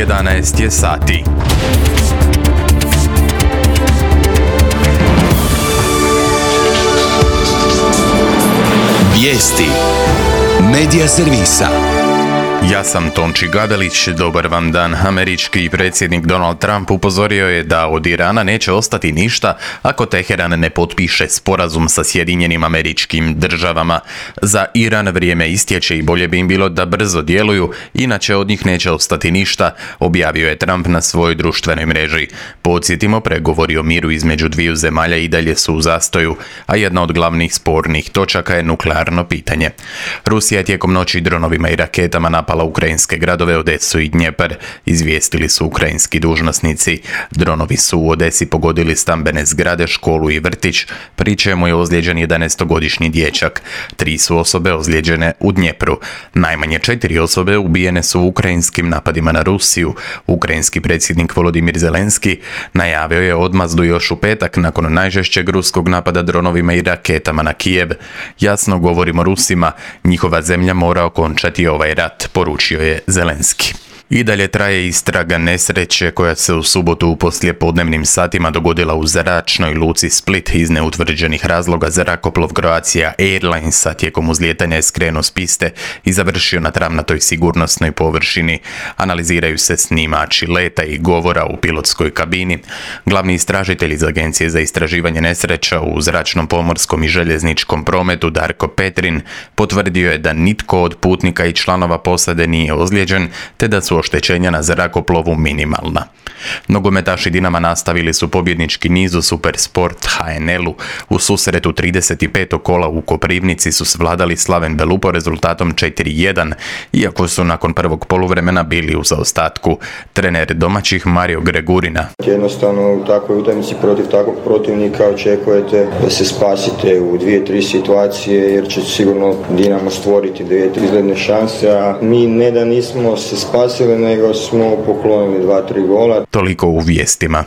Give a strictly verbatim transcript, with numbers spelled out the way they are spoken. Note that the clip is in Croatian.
jedanaest je sati. Vijesti Medija servisa. Ja sam Tonči Gavelić, dobar vam dan. Američki predsjednik Donald Trump upozorio je da od Irana neće ostati ništa ako Teheran ne potpiše sporazum sa Sjedinjenim Američkim Državama. Za Iran vrijeme istječe i bolje bi im bilo da brzo djeluju, inače od njih neće ostati ništa, objavio je Trump na svojoj društvenoj mreži. Podsjetimo, pregovori o miru između dviju zemalja i dalje su u zastoju, a jedna od glavnih spornih točaka je nuklearno pitanje. Rusija je tijekom noći dronovima i raketama napala ukrajinske gradove Odesu i Dnjepar, izvijestili su ukrajinski dužnosnici. Dronovi su u Odesi pogodili stambene zgrade, školu i vrtić, pri čemu je ozlijeđen jedanaestogodišnji dječak. Tri su osobe ozlijeđene u Dnjepru. Najmanje četiri osobe ubijene su u ukrajinskim napadima na Rusiju. Ukrajinski predsjednik Volodimir Zelenski najavio je odmazdu još u petak nakon najžešćeg ruskog napada dronovima i raketama na Kijev. Jasno govorimo Rusima, njihova zemlja mora okončati ovaj rat, poručio je Zelenski. I dalje traje istraga nesreće koja se u subotu u poslijepodnevnim satima dogodila u zračnoj luci Split. Iz neutvrđenih razloga zrakoplov Croatia Airlinesa tijekom uzlijetanja je skrenuo s piste i završio na travnatoj sigurnosnoj površini. Analiziraju se snimači leta i govora u pilotskoj kabini. Glavni istražitelj iz Agencije za istraživanje nesreća u zračnom, pomorskom i željezničkom prometu Darko Petrin potvrdio je da nitko od putnika i članova posade nije ozlijeđen, te da su oštećenja na zrakoplovu minimalna. Nogometaši Dinama nastavili su pobjednički niz u Supersport H N L-u. U susretu trideset petog kola u Koprivnici su svladali Slaven Belupo rezultatom četiri jedan, iako su nakon prvog poluvremena bili u zaostatku. Trener domaćih Mario Gregurina: Jednostavno u takvoj utakmici protiv takvog protivnika očekujete da se spasite u dvije, tri situacije, jer će sigurno Dinamo stvoriti dvije, tri izgledne šanse, a mi ne da nismo se spasili, nego smo poklonili dva, tri gola. Toliko u vijestima.